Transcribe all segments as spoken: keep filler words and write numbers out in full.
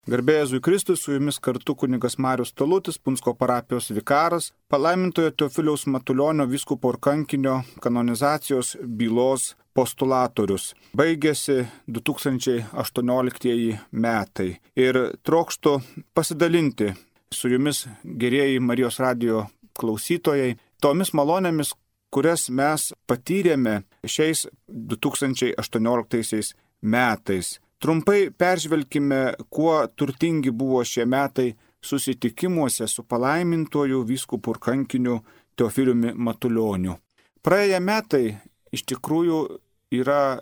Garbė Jėzui Kristui, su jumis kartu kunigas Marius Talutis, Punsko parapijos vikaras, palaimintojo Teofiliaus Matulionio vyskupo ir kankinio kanonizacijos bylos postulatorius. Baigėsi du tūkstančiai aštuonioliktieji metai ir trokštu pasidalinti su jumis, gerieji Marijos radijo klausytojai, tomis malonėmis, kurias mes patyrėme šiais du tūkstančiai aštuonioliktaisiais metais. Trumpai peržvelkime, kuo turtingi buvo šie metai susitikimuose su palaimintuoju vyskupu ir kankiniu Teofiliumi Matulioniu. Praėję metai iš tikrųjų yra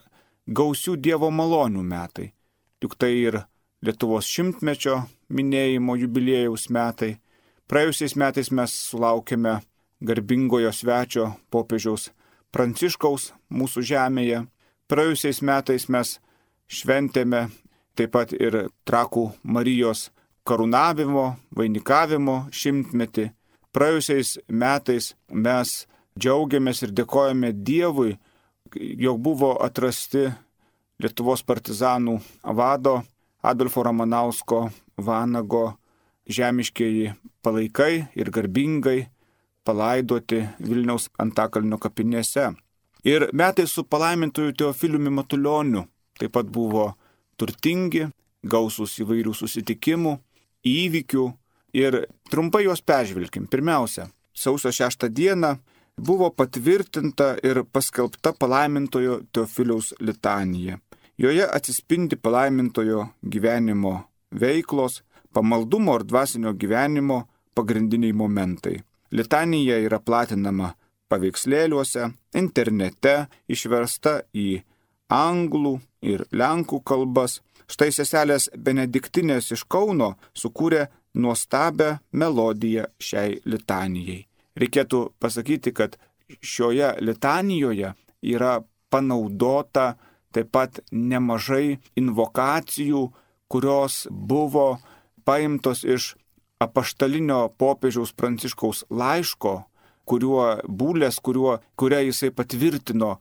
gausių Dievo malonių metai. Juk tai ir Lietuvos šimtmečio minėjimo jubiliejaus metai. Praėjusiais metais mes sulaukėme garbingojo svečio popiežiaus Pranciškaus mūsų žemėje. Praėjusiais metais mes šventėme taip pat ir Trakų Marijos karūnavimo, vainikavimo šimtmetį. Praėjusiais metais mes džiaugiamės ir dėkojame Dievui, jog buvo atrasti Lietuvos partizanų vado Adolfo Ramanausko Vanago žemiškieji palaikai ir garbingai palaidoti Vilniaus Antakalnio kapinėse. Ir metai su palaimintoju Teofiliumi Matulioniu taip pat buvo turtingi, gausūs įvairių susitikimų, įvykių ir trumpai juos peržvelkim. Pirmiausia, sausio šeštą dieną buvo patvirtinta ir paskelbta palaimintojo Teofiliaus litanija. Joje atsispindi palaimintojo gyvenimo veiklos, pamaldumo ir dvasinio gyvenimo pagrindiniai momentai. Litanija yra platinama paveikslėliuose, internete, išversta į anglų ir lenkų kalbas. Štai seselės Benediktinės iš Kauno sukūrė nuostabią melodiją šiai litanijai. Reikėtų pasakyti, kad šioje litanijoje yra panaudota taip pat nemažai invokacijų, kurios buvo paimtos iš apaštalinio popiežiaus Pranciškaus laiško, kuriuo būlės, kuriuo, kuria jisai patvirtino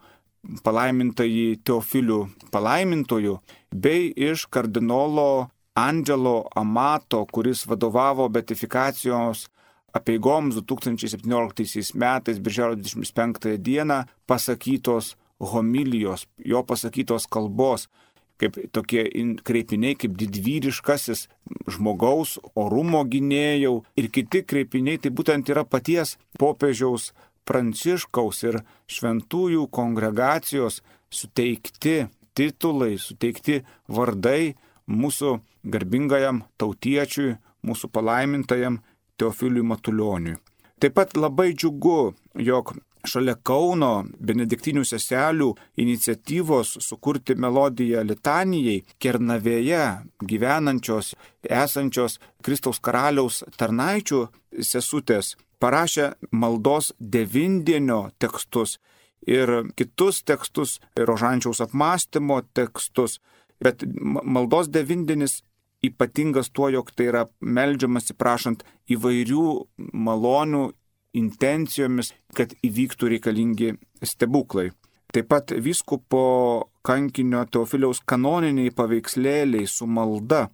palaimintąjį Teofilių palaimintojų, bei iš kardinolo Andželo Amato, kuris vadovavo beatifikacijos apeigoms du tūkstančiai septynioliktaisiais metais, birželio dvidešimt penktąją dieną, pasakytos homilijos, jo pasakytos kalbos, kaip tokie kreipiniai, kaip didvyriškasis žmogaus orumo gynėjau ir kiti kreipiniai, tai būtent yra paties popiežiaus Pranciškaus ir šventųjų kongregacijos suteikti titulai, suteikti vardai mūsų garbingajam tautiečiui, mūsų palaimintajam Teofiliui Matulioniui. Taip pat labai džiugu, jog šalia Kauno benediktinių seselių iniciatyvos sukurti melodiją litanijai Kernavėje gyvenančios, esančios Kristaus karaliaus tarnaičių sesutės parašė maldos devindienio tekstus ir kitus tekstus, rožančiaus apmąstymo tekstus, bet maldos devindienis ypatingas tuo, jog tai yra meldžiamasi prašant įvairių malonių intencijomis, kad įvyktų reikalingi stebuklai. Taip pat vyskupo kankinio Teofiliaus kanoniniai paveikslėliai su malda,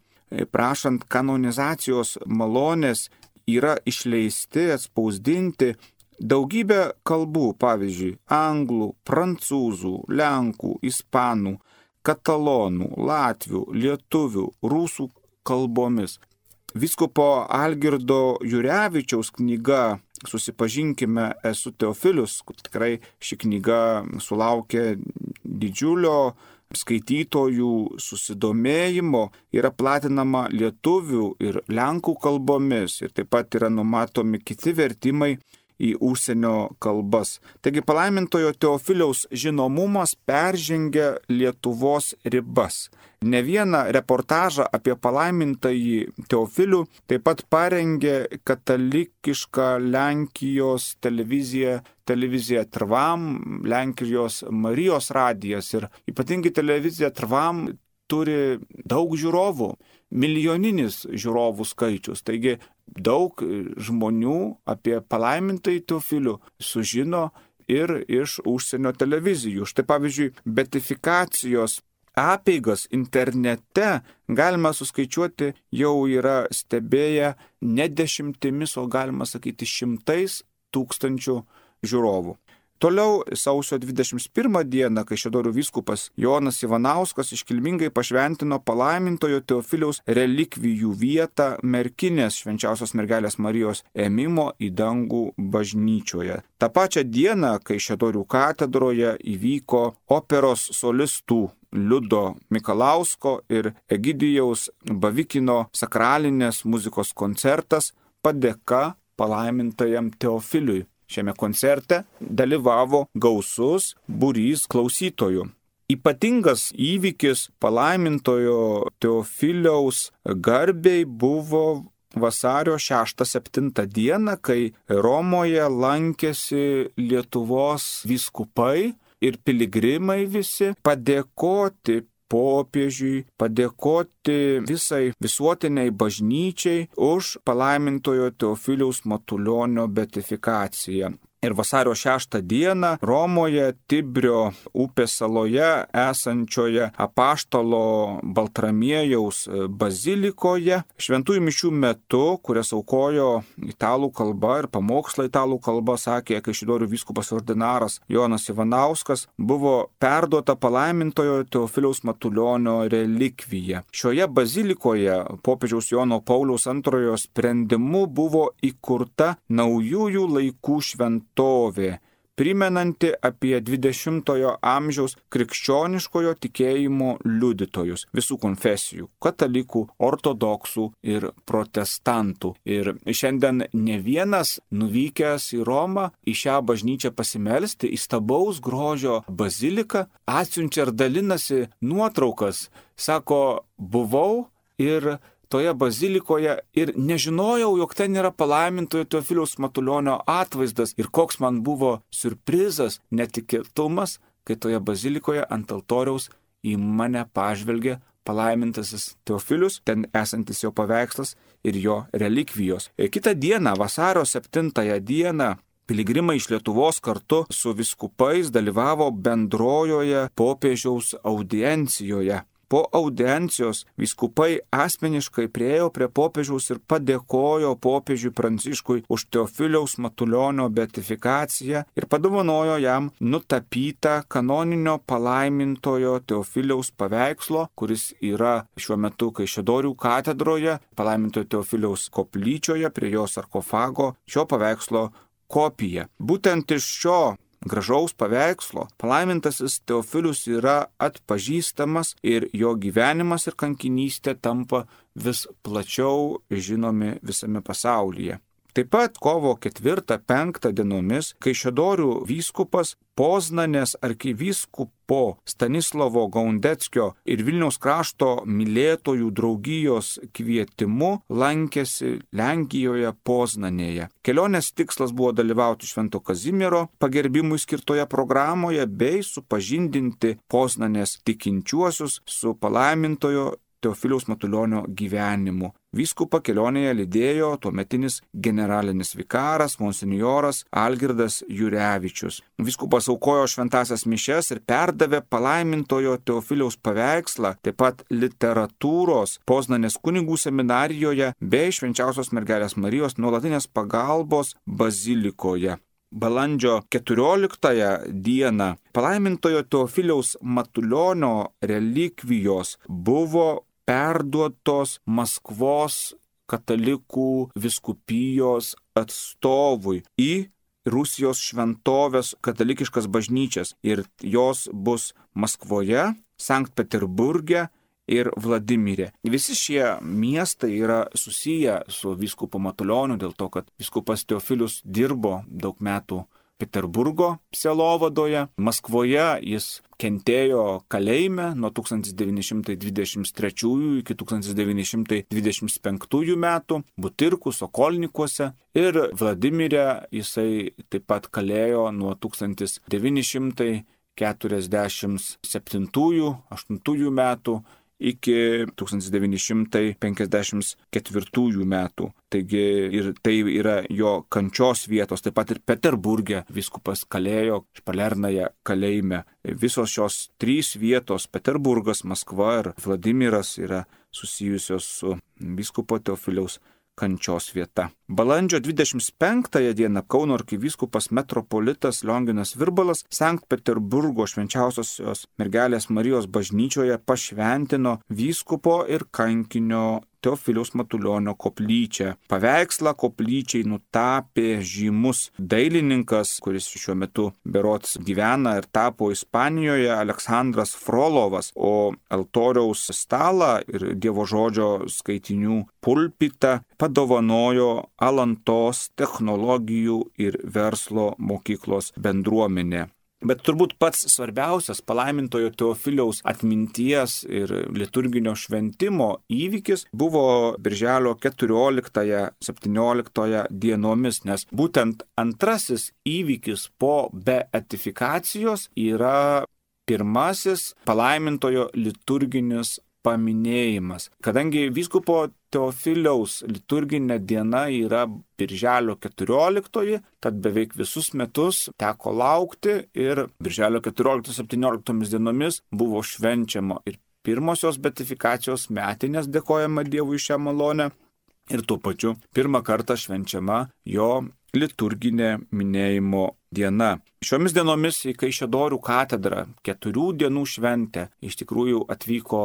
prašant kanonizacijos malonės, yra išleisti, atspausdinti daugybę kalbų, pavyzdžiui, anglų, prancūzų, lenkų, ispanų, katalonų, latvių, lietuvių, rusų kalbomis. Vyskupo Algirdo Jurevičiaus knyga Susipažinkime, esu Teofilius, tikrai ši knyga sulaukė didžiulio skaitytojų susidomėjimo, yra platinama lietuvių ir lenkų kalbomis ir taip pat yra numatomi kiti vertimai į užsienio kalbas. Taigi palaimintojo Teofiliaus žinomumas peržengia Lietuvos ribas. Ne vieną reportažą apie palaimintąjį Teofilių taip pat parengė katalikiška Lenkijos televizija, televizija Trvam, Lenkijos Marijos radijas ir ypatingai televizija Trvam turi daug žiūrovų, milijoninis žiūrovų skaičius. Taigi daug žmonių apie palaimintąjį Teofilių sužino ir iš užsienio televizijų. Štai pavyzdžiui, beatifikacijos apeigas internete galima suskaičiuoti jau yra stebėję ne dešimtimis, o galima sakyti šimtais tūkstančių žiūrovų. Toliau sausio dvidešimt pirmą dieną Kaišiadorių vyskupas Jonas Ivanauskas iškilmingai pašventino palaimintojo Teofiliaus relikvijų vietą Merkinės Švenčiausios mergelės Marijos ėmimo į dangų bažnyčioje. Ta pačia diena Kaišiadorių katedroje įvyko operos solistų Liudo Mikalausko ir Egidijaus Bavikino sakralinės muzikos koncertas Padėka palaimintajam Teofiliui. Šiame koncerte dalyvavo gausus būrys klausytojų. Ypatingas įvykis palaimintojo Teofiliaus garbei buvo vasario šeštą septintą dieną, kai Romoje lankėsi Lietuvos vyskupai ir piligrimai visi padėkoti popiežiui, padėkoti visai visuotiniai bažnyčiai už palaimintojo Teofiliaus Matulionio beatifikaciją. Ir vasario šeštą dieną Romoje Tibrio upės saloje esančioje Apaštalo Baltramiejaus bazilikoje šventųjų mišių metu, kurias aukojo italų kalba ir pamokslą italų kalba, sakė Kaišiadorių vyskupas ordinaras Jonas Ivanauskas, buvo perduota palaimintojo Teofiliaus Matulionio relikvija. Šioje bazilikoje popiežiaus Jono Pauliaus antrojo sprendimu buvo įkurta naujųjų laikų šventovė, primenanti apie dvidešimtojo amžiaus krikščioniškojo tikėjimo liudytojus visų konfesijų - katalikų, ortodoksų ir protestantų. Ir šiandien ne vienas nuvykęs į Romą į šią bažnyčią pasimelsti, įstabaus grožio baziliką, atsiunčia ir dalinasi nuotraukas. Sako, buvau ir toje bazilikoje ir nežinojau, jog ten yra palaimintojo Teofiliaus Matulionio atvaizdas ir koks man buvo siurprizas, netikėtumas, kai toje bazilikoje ant altoriaus į mane pažvelgė palaimintasis Teofilius, ten esantis jo paveikslas ir jo relikvijos. Ir kitą dieną, vasario septintąją dieną, piligrimai iš Lietuvos kartu su vyskupais dalyvavo bendrojoje popiežiaus audiencijoje. Po audiencijos vyskupai asmeniškai priėjo prie popiežiaus ir padėkojo popiežiui Pranciškui už Teofiliaus Matulionio beatifikaciją ir padovanojo jam nutapytą kanoninio palaimintojo Teofiliaus paveikslo, kuris yra šiuo metu Kaišiadorių katedroje, palaimintojo Teofiliaus koplyčioje prie jo sarkofago, šio paveikslo kopija. Būtent iš šio gražaus paveikslo palaimintasis Teofilius yra atpažįstamas ir jo gyvenimas ir kankinystė tampa vis plačiau žinomi visame pasaulyje. Taip pat kovo ketvirtą penktą dienomis Kaišiadorių vyskupas Poznanės arkivyskupo Stanislovo Gaundeckio ir Vilniaus krašto mylėtojų draugijos kvietimu lankėsi Lenkijoje Poznanėje. Kelionės tikslas buvo dalyvauti Švento Kazimiero pagerbimui skirtoje programoje bei supažindinti Poznanės tikinčiuosius su palaimintojo Teofiliaus Matulionio gyvenimu. Vyskupą kelionėje lydėjo tuometinis generalinis vikaras monsinjoras Algirdas Jurevičius. Vyskupas aukojo šventąsias mišias ir perdavė palaimintojo Teofiliaus paveikslą, taip pat literatūros Poznanės kunigų seminarijoje bei Švenčiausios mergelės Marijos nuolatinės pagalbos bazilikoje. Balandžio keturioliktąją dieną palaimintojo Teofiliaus Matulionio relikvijos buvo perduotos Maskvos katalikų vyskupijos atstovui į Rusijos šventovės katalikiškas bažnyčias ir jos bus Maskvoje, Sankt Peterburge ir Vladimirė. Visi šie miestai yra susiję su vyskupu Matulioniu dėl to, kad vyskupas Teofilius dirbo daug metų Peterburgo sielovadoje. Maskvoje jis kentėjo kalėjime nuo tūkstantis devyni šimtai dvidešimt trečiųjų iki tūkstantis devyni šimtai dvidešimt penktųjų metų Butirkų, Sokolnikuose ir Vladimirė jisai taip pat kalėjo nuo tūkstantis devyni šimtai keturiasdešimt septintųjų aštuntųjų metų iki tūkstantis devyni šimtai penkiasdešimt ketvirtųjų metų. Taigi ir tai yra jo kančios vietos, taip pat ir Peterburge vyskupas kalėjo Špalernaja kalėjime. Visos šios trys vietos - Peterburgas, Maskva ir Vladimiras - yra susijusios su vyskupo Teofiliaus kančios vieta. Balandžio dvidešimt penktąją dieną Kauno arkivyskupas metropolitas Lionginas Virbalas Sankt Peterburgo švenčiausiosios mergelės Marijos bažnyčioje pašventino vyskupo ir kankinio Teofiliaus Matulionio koplyčią. Paveikslą koplyčiai nutapė žymus dailininkas, kuris šiuo metu berods gyvena ir tapo Ispanijoje, Aleksandras Frolovas, o altoriaus stalą ir Dievo žodžio skaitinių pulpitą padovanojo Alantos technologijų ir verslo mokyklos bendruomenė. Bet turbūt pats svarbiausias palaimintojo Teofiliaus atminties ir liturginio šventimo įvykis buvo birželio keturioliktąją septynioliktąją dienomis, nes būtent antrasis įvykis po beatifikacijos yra pirmasis palaimintojo liturginis paminėjimas. Kadangi vyskupo Teofiliaus liturginė diena yra birželio keturioliktoji, tad beveik visus metus teko laukti ir birželio keturioliktos septynioliktomis dienomis buvo švenčiama ir pirmosios beatifikacijos metinės, dėkojama Dievui šią malonę, ir tuo pačiu pirmą kartą švenčiama jo liturginė minėjimo diena. Šiomis dienomis į Kaišiadorių katedrą keturių dienų šventę iš tikrųjų atvyko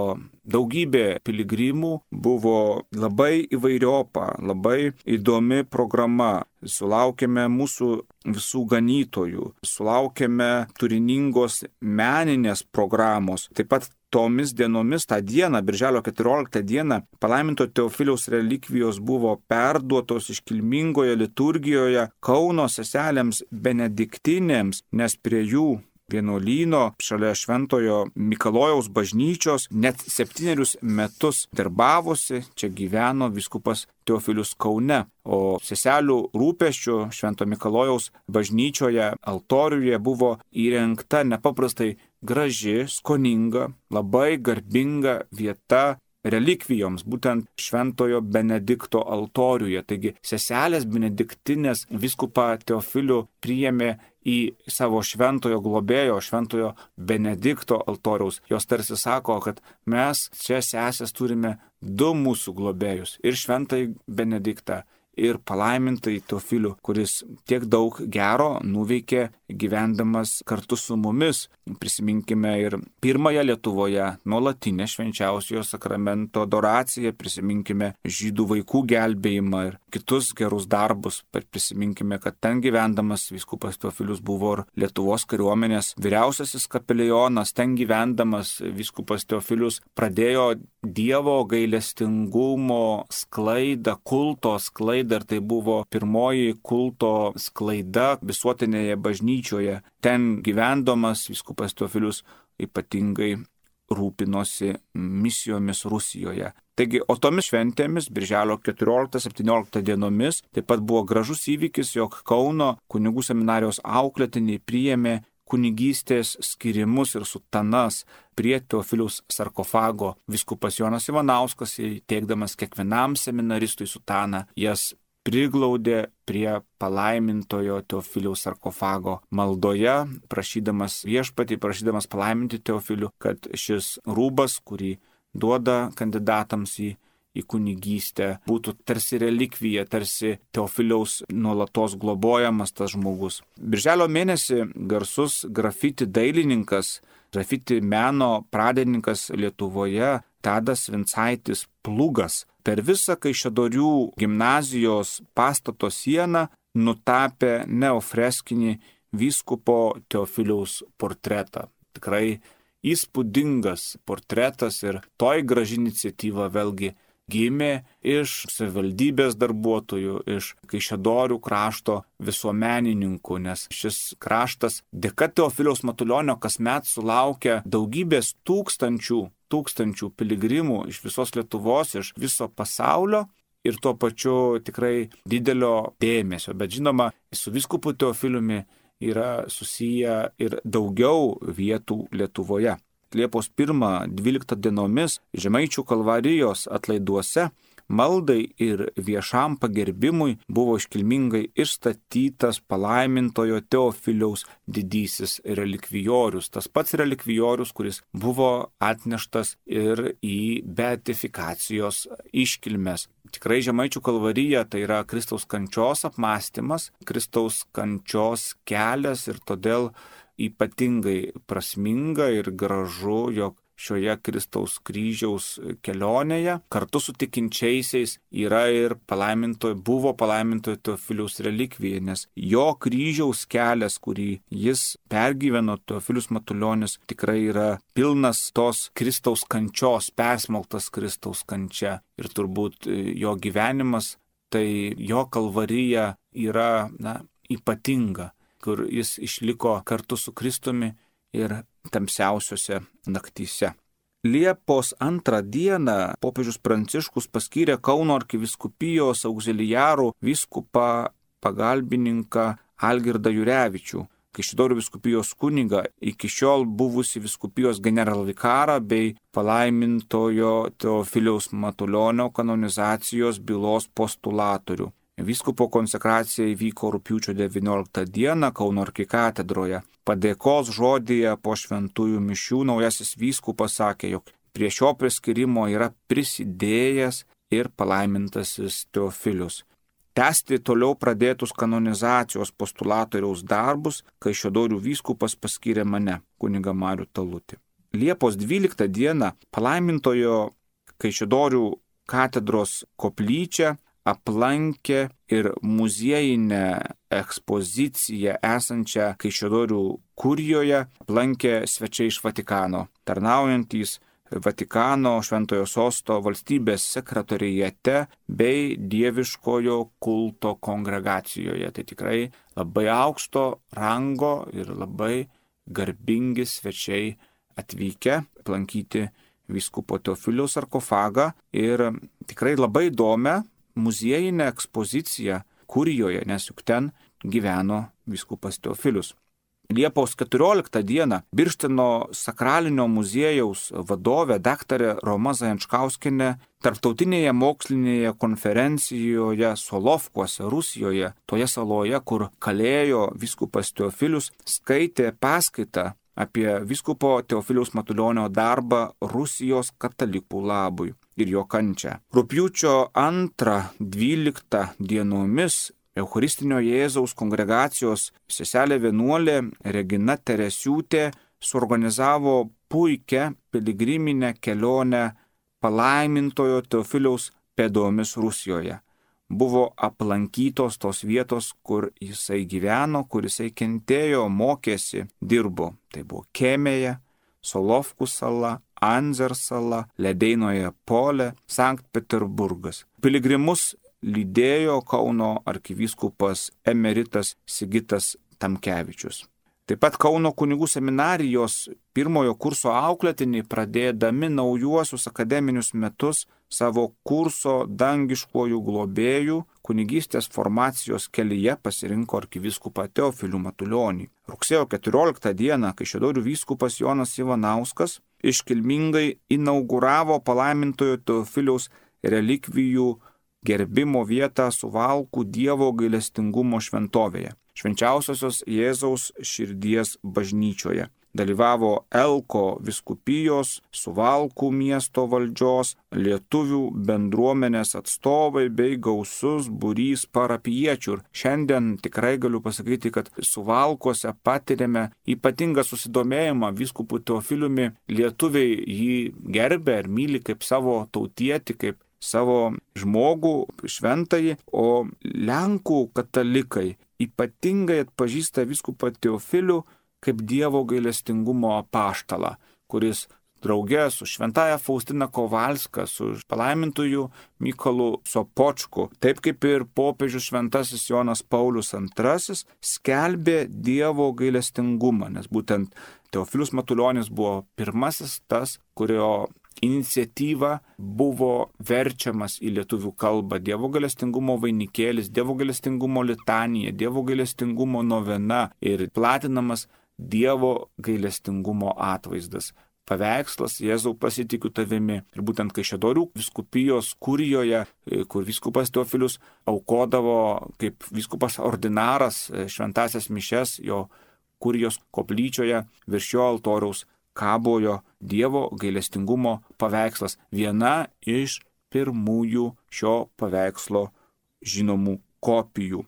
daugybė piligrimų, buvo labai įvairiopa, labai įdomi programa. Sulaukėme mūsų visų ganytojų, sulaukėme turiningos meninės programos. Taip pat tomis dienomis, tą dieną, birželio keturioliktą dieną, palaiminto Teofiliaus relikvijos buvo perduotos iškilmingoje liturgijoje Kauno seselėms benediktinėms, nes prie jų vienuolyno šalia Šventojo Mikalojaus bažnyčios net septynerius metus darbavosi, čia gyveno vyskupas Teofilius Kaune, o seselių rūpesčių Švento Mikalojaus bažnyčioje altoriuje buvo įrengta nepaprastai graži, skoninga, labai garbinga vieta relikvijoms, būtent Šventojo Benedikto altoriuje. Taigi seselės benediktinės vyskupą Teofilių priėmė į savo šventojo globėjo, Šventojo Benedikto altoriaus. Jos tarsi sako, kad mes čia sesės turime du mūsų globėjus - ir Šventąjį Benediktą, ir palaimintai Teofilių, kuris tiek daug gero nuveikė gyvendamas kartu su mumis. Prisiminkime ir pirmąją Lietuvoje nuolatinę švenčiausiojo sakramento adoraciją, prisiminkime žydų vaikų gelbėjimą ir kitus gerus darbus. Prisiminkime, kad ten gyvendamas vyskupas Teofilius buvo ir Lietuvos kariuomenės vyriausiasis kapelionas, ten gyvendamas vyskupas Teofilius pradėjo Dievo gailestingumo sklaidą, kulto sklaidą, ir tai buvo pirmoji kulto sklaida visuotinėje bažnyčioje. Ten gyvendamas vyskupas Teofilius ypatingai rūpinosi misijomis Rusijoje. Taigi, o tomis šventėmis, birželio keturioliktą septynioliktą dienomis, taip pat buvo gražus įvykis, jog Kauno kunigų seminarijos auklėtiniai priėmė kunigystės skirimus ir sutanas prie Teofiliaus sarkofago. Vyskupas Jonas Ivanauskas, teikdamas kiekvienam seminaristui sutaną, jas priglaudė prie palaimintojo Teofiliaus sarkofago maldoje, prašydamas viešpatį, prašydamas palaiminti Teofilių, kad šis rūbas, kurį duoda kandidatams į į kunigystę, būtų tarsi relikvija, tarsi Teofiliaus nuolatos globojamas tas žmogus. Birželio mėnesį garsus grafiti dailininkas, grafiti meno pradininkas Lietuvoje Tadas Vincaitis Plugas per visą Kaišiadorių gimnazijos pastato sieną nutapė neofreskinį vyskupo Teofiliaus portretą. Tikrai įspūdingas portretas ir toj graži iniciatyva vėlgi gimė iš savivaldybės darbuotojų, iš Kaišiadorių krašto visuomenininkų, nes šis kraštas dėka Teofiliaus Matulionio kasmet sulaukia daugybės tūkstančių, tūkstančių piligrimų iš visos Lietuvos, iš viso pasaulio ir tuo pačiu tikrai didelio dėmesio. Bet žinoma, su vyskupu Teofiliumi yra susiję ir daugiau vietų Lietuvoje. Liepos pirmą dvyliktą dienomis Žemaičių Kalvarijos atlaiduose maldai ir viešam pagerbimui buvo iškilmingai išstatytas palaimintojo Teofiliaus didysis relikvijorius. Tas pats relikvijorius, kuris buvo atneštas ir į beatifikacijos iškilmes. Tikrai Žemaičių Kalvarija tai yra Kristaus kančios apmąstymas, Kristaus kančios kelias ir todėl ypatingai prasminga ir gražu, jog šioje Kristaus kryžiaus kelionėje kartu su tikinčiaisiais yra ir palaimintojo, buvo palaimintojo Teofiliaus relikvija, nes jo kryžiaus kelias, kurį jis pergyveno, Teofilius Matulionis, tikrai yra pilnas tos Kristaus kančios, persmelktas Kristaus kančia. Ir turbūt jo gyvenimas, tai jo Kalvarija yra na, ypatinga, kur jis išliko kartu su Kristumi ir tamsiausiose naktyse. Liepos antrą dieną popiežius Pranciškus paskyrė Kauno arkivyskupijos auxiliarų vyskupą pagalbininką Algirdą Jurevičių, Kaišiadorių vyskupijos kunigą, iki šiol buvusi vyskupijos generalvikarą bei palaimintojo Teofiliaus Matulionio kanonizacijos bylos postulatorių. Vyskupo konsekracija įvyko rugpjūčio devynioliktą dieną Kauno arkikatedroje. Padėkos žodyje po šventųjų mišių naujasis vyskupas sakė, jog prie šio priskirimo yra prisidėjęs ir palaimintasis Teofilius. Tęsti toliau pradėtus kanonizacijos postulatoriaus darbus Kaišiadorių vyskupas paskyrė mane, kunigą Marių Talutį. Liepos dvyliktą dieną palaimintojo Kaišiadorių katedros koplyčią aplankė ir muziejinę ekspoziciją esančią Kaišiadorių kurijoje, aplankė svečiai iš Vatikano, tarnaujantys Vatikano Šventojo Sosto valstybės sekretorijate bei dieviškojo kulto kongregacijoje. Tai tikrai labai aukšto rango ir labai garbingi svečiai atvykę aplankyti vyskupo Teofiliaus sarkofagą ir tikrai labai įdomią muziejinę ekspoziciją kurijoje, nes juk ten gyveno vyskupas Teofilius. Liepos keturioliktą dieną Birštino sakralinio muziejaus vadovė daktarė Roma Zajančkauskienė tarptautinėje mokslinėje konferencijoje Solovkuose, Rusijoje, toje saloje, kur kalėjo vyskupas Teofilius, skaitė paskaitą apie vyskupo Teofiliaus Matulionio darbą Rusijos katalikų labui ir jo kančią. Rugpjūčio antrą dvyliktą dienomis Eucharistinio Jėzaus kongregacijos seselė vienuolė Regina Teresiūtė suorganizavo puikią piligriminę kelionę palaimintojo Teofiliaus pėdomis Rusijoje. Buvo aplankytos tos vietos, kur jisai gyveno, kur jisai kentėjo, mokėsi, dirbo. Tai buvo Kemėje, Solovkų sala, Anzer sala, Ledeinoje Pole, Sankt Peterburgas. Piligrimus lydėjo Kauno arkivyskupas emeritas Sigitas Tamkevičius. Taip pat Kauno kunigų seminarijos pirmojo kurso auklėtiniai, pradėdami naujuosius akademinius metus, savo kurso dangiškojų globėjų kunigystės formacijos kelyje pasirinko arkivyskupą Teofilių Matulionį. Rugsėjo keturioliktą dieną Kaišiadorių vyskupas Jonas Ivanauskas iškilmingai inauguravo palaimintojo Teofiliaus relikvijų gerbimo vietą Suvalkų Dievo gailestingumo šventovėje, Švenčiausiosios Jėzaus širdies bažnyčioje. Dalyvavo Elko vyskupijos, Suvalkų miesto valdžios, lietuvių bendruomenės atstovai bei gausus būrys parapijiečių. Ir šiandien tikrai galiu pasakyti, kad Suvalkuose patiriame ypatingą susidomėjimą vyskupu Teofiliumi. Lietuviai jį gerbė ir myli kaip savo tautietį, kaip savo žmogų, šventąjį, o Lenkų katalikai ypatingai atpažįsta vyskupą Teofilių kaip Dievo gailestingumo apaštalą, kuris drauge su šventaja Faustina Kovalska, su palaimintuoju Mykolu Sopočku, taip kaip ir popiežius šventasis Jonas Paulius antrasis, skelbė Dievo gailestingumą, nes būtent Teofilius Matulionis buvo pirmasis tas, kurio iniciatyva buvo verčiamas į lietuvių kalbą Dievo gailestingumo vainikėlis, Dievo gailestingumo litanija, Dievo gailestingumo novena ir platinamas Dievo gailestingumo atvaizdas. paveikslas Jėzau pasitikiu tavimi. Ir būtent Kaišiadorių vyskupijos kurijoje, kur vyskupas Teofilius aukodavo kaip vyskupas ordinaras šventąsias mišias, jo kurijos koplyčioje virš jo altoriaus kabojo Dievo gailestingumo paveikslas, viena iš pirmųjų šio paveikslo žinomų kopijų.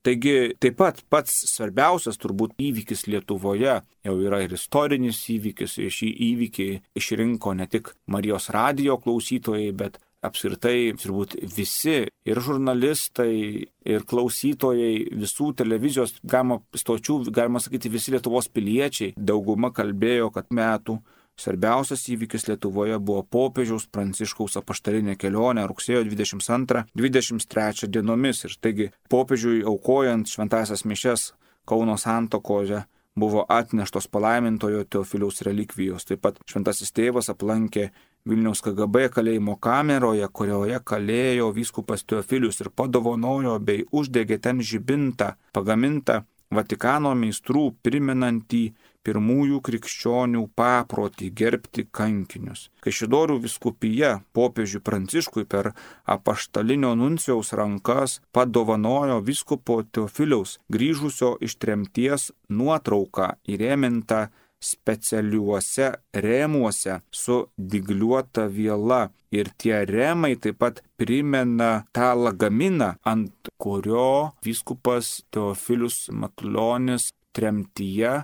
Taigi taip pat pats svarbiausias turbūt įvykis Lietuvoje jau yra ir istorinis įvykis. Šį įvykį išrinko ne tik Marijos radijo klausytojai, bet apskritai turbūt visi ir žurnalistai, ir klausytojai visų televizijos galima stočių, galima sakyti visi Lietuvos piliečiai. Dauguma kalbėjo, kad metų svarbiausias įvykis Lietuvoje buvo popiežiaus Pranciškaus apaštalinė kelionė rugsėjo dvidešimt antrą dvidešimt trečią dienomis. Ir taigi popiežiui aukojant šventąsias mišias Kauno santuokoje buvo atneštos palaimintojo Teofiliaus relikvijos. Taip pat šventasis tėvas aplankė Vilniaus K G B kalėjimo kameroje, kurioje kalėjo vyskupas Teofilius ir padovanojo bei uždegė ten žibintą pagamintą Vatikano meistrų primenantį pirmųjų krikščionių paprotį gerbti kankinius. Kaišiadorių vyskupija popiežiui Pranciškui per apaštalinio nuncijaus rankas padovanojo vyskupo Teofiliaus grįžusio iš tremties nuotrauką įrėmintą specialiuose rėmuose su dygliuota viela. Ir tie rėmai taip pat primena tą lagaminą, ant kurio vyskupas Teofilius Matulionis tremtyje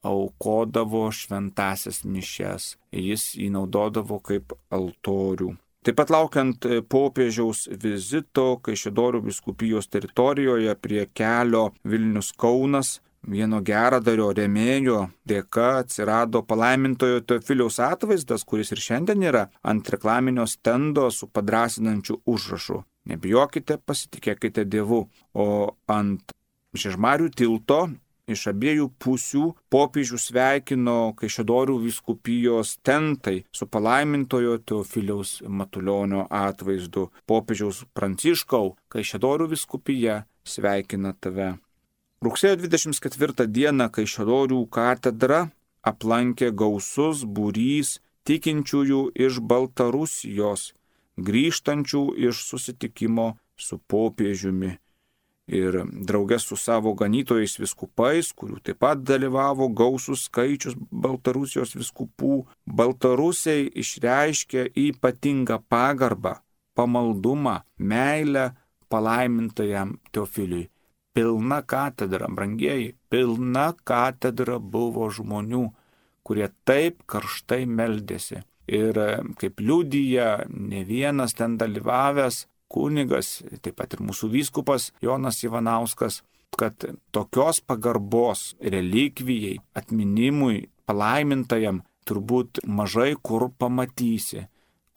aukodavo šventąsias mišias. Jis jį naudodavo kaip altorių. Taip pat laukiant popiežiaus vizito Kaišiadorių vyskupijos teritorijoje prie kelio Vilnius Kaunas, vieno geradario rėmėjo dėka atsirado palaimintojo Teofiliaus atvaizdas, kuris ir šiandien yra ant reklaminio stendo su padrasinančiu užrašu. Nebijokite, pasitikėkite Dievu. O ant Žiežmarių tilto iš abiejų pusių popiežių sveikino Kaišiadorių vyskupijos tentai su palaimintojo Teofiliaus Matulionio atvaizdu. Popiežiaus Pranciškau, Kaišiadorių vyskupija sveikina tave. Rugsėjo dvidešimt ketvirtą dieną Kaišiadorių katedrą aplankė gausus būrys tikinčiųjų iš Baltarusijos, grįžtančių iš susitikimo su popiežiumi. Ir drauge su savo ganytojais vyskupais, kurių taip pat dalyvavo gausus skaičius Baltarusijos vyskupų, baltarusiai išreiškė ypatingą pagarbą, pamaldumą, meilę palaimintajam Teofiliui. Pilna katedra, brangieji, pilna katedra buvo žmonių, kurie taip karštai meldėsi. Ir kaip liudija ne vienas ten dalyvavęs kunigas, taip pat ir mūsų vyskupas Jonas Ivanauskas, kad tokios pagarbos relikvijai, atminimui, palaimintajam turbūt mažai kur pamatysi,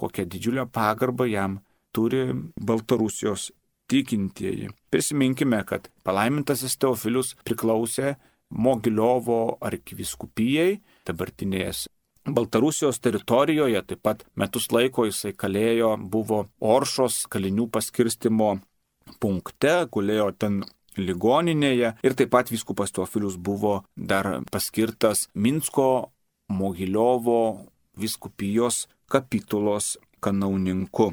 kokią didžiulę pagarbą jam turi Baltarusijos tikintieji. Prisiminkime, kad palaimintasis Teofilius priklausė Mogiliovo arkivyskupijai, dabartinės Baltarusijos teritorijoje, taip pat metus laiko jisai kalėjo, buvo Oršos kalinių paskirstimo punkte, gulėjo ten ligoninėje ir taip pat vyskupas Teofilius buvo dar paskirtas Minsko Mogiliovo vyskupijos kapitulos kanauninku.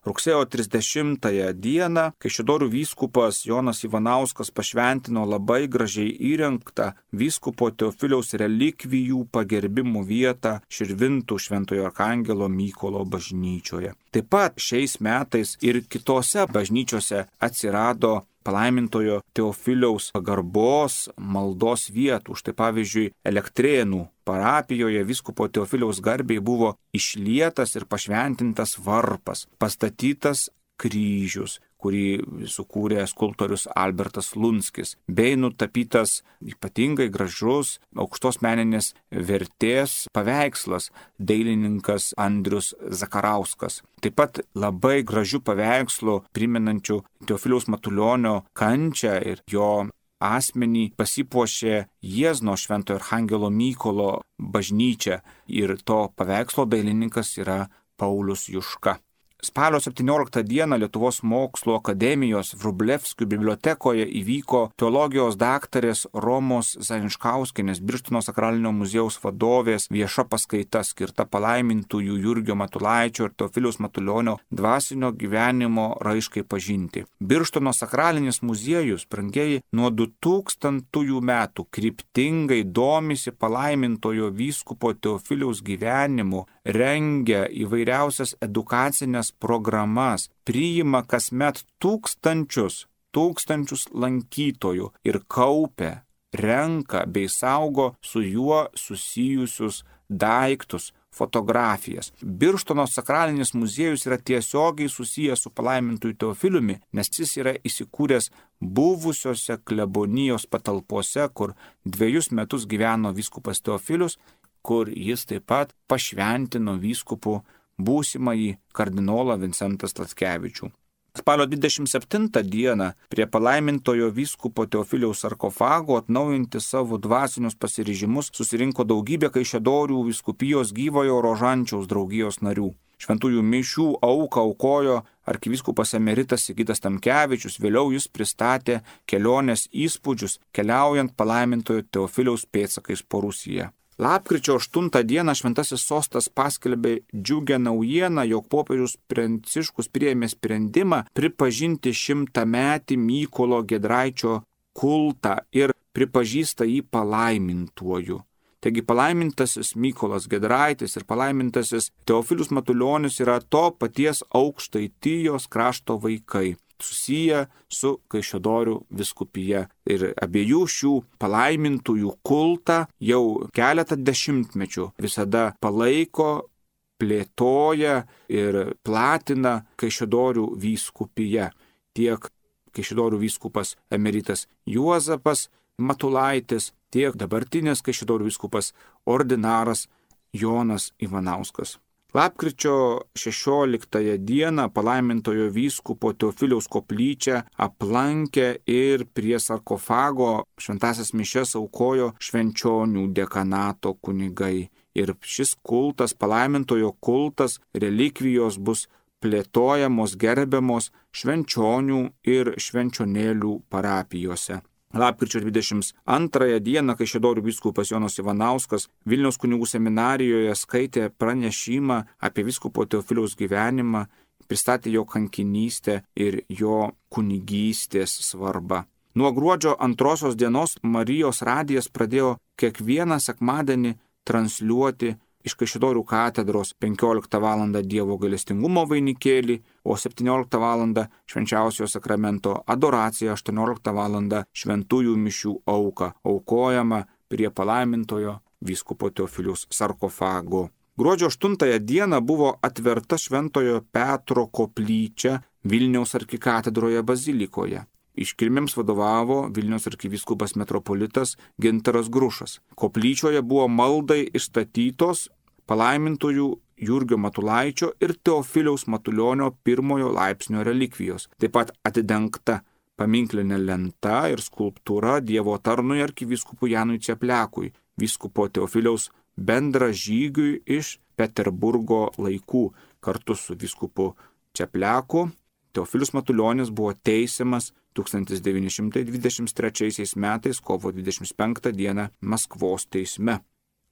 Rugsėjo trisdešimtąją dieną Kaišiadorių vyskupas Jonas Ivanauskas pašventino labai gražiai įrengtą vyskupo Teofiliaus relikvijų pagerbimo vietą Širvintų Šventojo Arkangelo Mykolo bažnyčioje. Taip pat šiais metais ir kitose bažnyčiose atsirado palaimintojo Teofiliaus pagarbos maldos vietų. Štai pavyzdžiui, Elektrėnų parapijoje vyskupo Teofiliaus garbei buvo išlietas ir pašventintas varpas, pastatytas kryžius, kurį sukūrė skulptorius Albertas Lunskis, bei nutapytas ypatingai gražus aukštos meninės vertės paveikslas dailininkas Andrius Zakarauskas. Taip pat labai gražių paveikslų primenančių Teofiliaus Matulionio kančią ir jo asmenį pasipuošė Jiezno Šventojo Arkangelo Mykolo bažnyčia ir to paveikslo dailininkas yra Paulius Juška. Spalio septynioliktą dieną Lietuvos mokslo akademijos Vrublevskių bibliotekoje įvyko teologijos daktarės Romos Zajančkauskienės, Birštono sakralinio muziejaus vadovės vieša paskaita skirta palaimintųjų Jurgio Matulaičio ir Teofiliaus Matulionio dvasinio gyvenimo raiškai pažinti. Birštono sakralinis muziejus, brangieji, nuo du tūkstantųjų metų kryptingai domisi palaimintojo vyskupo Teofiliaus gyvenimu, rengia įvairiausias edukacinės programas, priima kasmet tūkstančius, tūkstančius lankytojų ir kaupia, renka bei saugo su juo susijusius daiktus, fotografijas. Birštono sakralinis muziejus yra tiesiogiai susijęs su palaimintųjų Teofiliumi, nes jis yra įsikūręs buvusiose klebonijos patalpose, kur dviejus metus gyveno vyskupas Teofilius, kur jis taip pat pašventino vyskupų būsimąjį kardinolą Vincentą Sladkevičių. Spalio dvidešimt septintą dieną prie palaimintojo vyskupo Teofiliaus sarkofago atnaujinti savo dvasinius pasiryžimus susirinko daugybė Kaišiadorių vyskupijos Gyvojo Rožančiaus draugijos narių. Šventųjų mišių auką aukojo arkivyskupas emeritas Sigitas Tamkevičius, vėliau jis pristatė kelionės įspūdžius keliaujant palaimintojo Teofiliaus pėdsakais po Rusiją. Lapkričio aštuntą dieną Šventasis sostas paskelbė džiugią naujieną, jog popiežius Pranciškus priėmė sprendimą pripažinti šimtametį Mykolo Giedraičio kultą ir pripažįsta jį palaimintuoju. Taigi palaimintasis Mykolas Giedraitis ir palaimintasis Teofilius Matulionis yra to paties Aukštaitijos krašto vaikai, susiję su Kaišiadorių vyskupija. Ir abiejų šių palaimintųjų kultą jau keletą dešimtmečių visada palaiko, plėtoja ir platina Kaišiadorių vyskupija. Tiek Kaišiadorių vyskupas emeritas Juozapas Matulaitis, tiek dabartinės Kaišiadorių vyskupas ordinaras Jonas Ivanauskas. Lapkričio šešioliktąją dieną palaimintojo vyskupo Teofiliaus koplyčią aplankė ir prie sarkofago šventąsias mišias aukojo Švenčionių dekanato kunigai. Ir šis kultas, palaimintojo kultas, relikvijos bus plėtojamos, gerbiamos Švenčionių ir Švenčionėlių parapijose. Lapkričio dvidešimt antrąją dieną Kaišiadorių vyskupas Jonas Ivanauskas Vilniaus kunigų seminarijoje skaitė pranešimą apie vyskupo Teofiliaus gyvenimą, pristatė jo kankinystę ir jo kunigystės svarbą. Nuo gruodžio antrosios dienos Marijos radijas pradėjo kiekvieną sekmadienį transliuoti iš Kaišiadorių katedros penkioliktą valandą Dievo gailestingumo vainikėlį, o septynioliktą valandą švenčiausiojo sakramento adoracija, aštuonioliktą valandą šventųjų mišių auka, aukojama prie palaimintojo vyskupo Teofiliaus sarkofago. Gruodžio aštuntąją dieną buvo atverta Šventojo Petro koplyčia Vilniaus arkikatedroje bazilikoje. Iškilmėms vadovavo Vilniaus arkivyskupas metropolitas Gintaras Grušas. Koplyčioje buvo maldai išstatytos palaimintojų Jurgio Matulaičio ir Teofiliaus Matulionio pirmojo laipsnio relikvijos. Taip pat atidengta paminklinė lenta ir skulptūra Dievo tarnui arkivyskupui Janui Ceplekui, vyskupo Teofiliaus bendražygiui iš Peterburgo laikų. Kartu su vyskupu Cepleku Teofilius Matulionis buvo teisiamas tūkstantis devyni šimtai dvidešimt trečiaisiais metais kovo dvidešimt penktą dieną Maskvos teisme.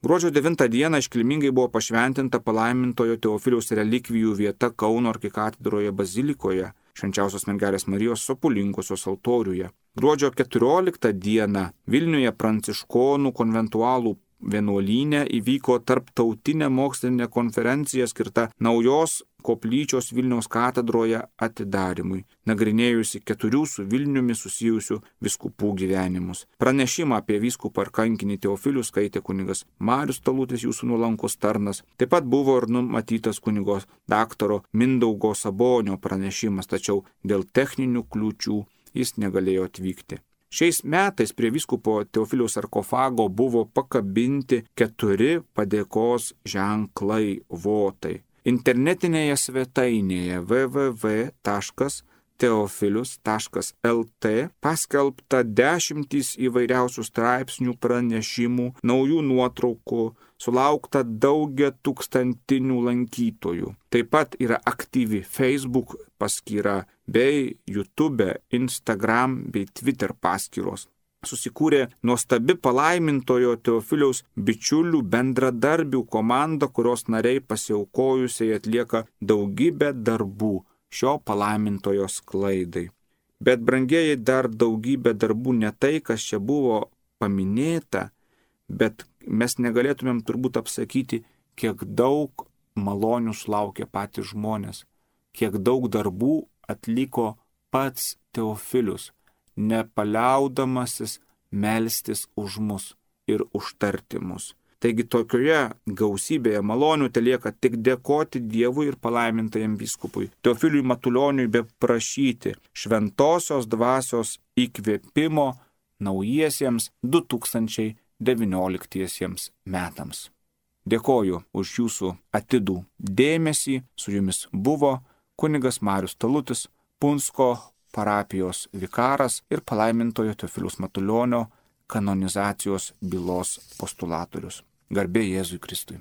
Gruodžio devintą dieną iškilmingai buvo pašventinta palaimintojo Teofiliaus relikvijų vieta Kauno arkikatedroje bazilikoje, Švenčiausios Mergelės Marijos Sopulinkosios altoriuje. Gruodžio keturioliktą dieną Vilniuje pranciškonų konventualų vienuolyne įvyko tarptautinė mokslinė konferencija skirta naujos koplyčios Vilniaus katedroje atidarimui, nagrinėjusi keturių su Vilniumi susijusių vyskupų gyvenimus. Pranešimą apie vyskupą ir kankinį Teofilių skaitė kunigas Marius Talutis, jūsų nuolankus tarnas. Taip pat buvo ir numatytas kunigo daktaro Mindaugo Sabonio pranešimas, tačiau dėl techninių kliūčių jis negalėjo atvykti. Šiais metais prie vyskupo Teofiliaus sarkofago buvo pakabinti keturi padėkos ženklai votai. Internetinėje svetainėje w w w taškas teofilius taškas l t paskelbta dešimtys įvairiausių straipsnių, pranešimų, naujų nuotraukų, sulaukta daugia tūkstantinių lankytojų. Taip pat yra aktyvi Facebook paskyra bei YouTube, Instagram bei Twitter paskyros. Susikūrė nuostabi palaimintojo Teofiliaus bičiulių bendradarbių komanda, kurios nariai pasiaukojusiai atlieka daugybę darbų šio palaimintojo sklaidai. Bet, brangieji, dar daugybė darbų ne tai, kas čia buvo paminėta, bet mes negalėtumėm turbūt apsakyti, kiek daug malonių sulaukė patys žmonės, kiek daug darbų atliko pats Teofilius, nepaliaudamasis melstis už mus ir užtarti mus. Taigi tokioje gausybėje malonių telieka tik dėkoti Dievui ir palaimintajam vyskupui Teofiliui Matulioniui, be prašyti šventosios dvasios įkvėpimo naujiesiems du tūkstančiai devynioliktiesiems metams. Dėkoju už jūsų atidų dėmesį. Su jumis buvo kunigas Marius Talutis, Punsko parapijos vikaras ir palaimintojo Teofiliaus Matulionio kanonizacijos bylos postulatorius. Garbė Jėzui Kristui.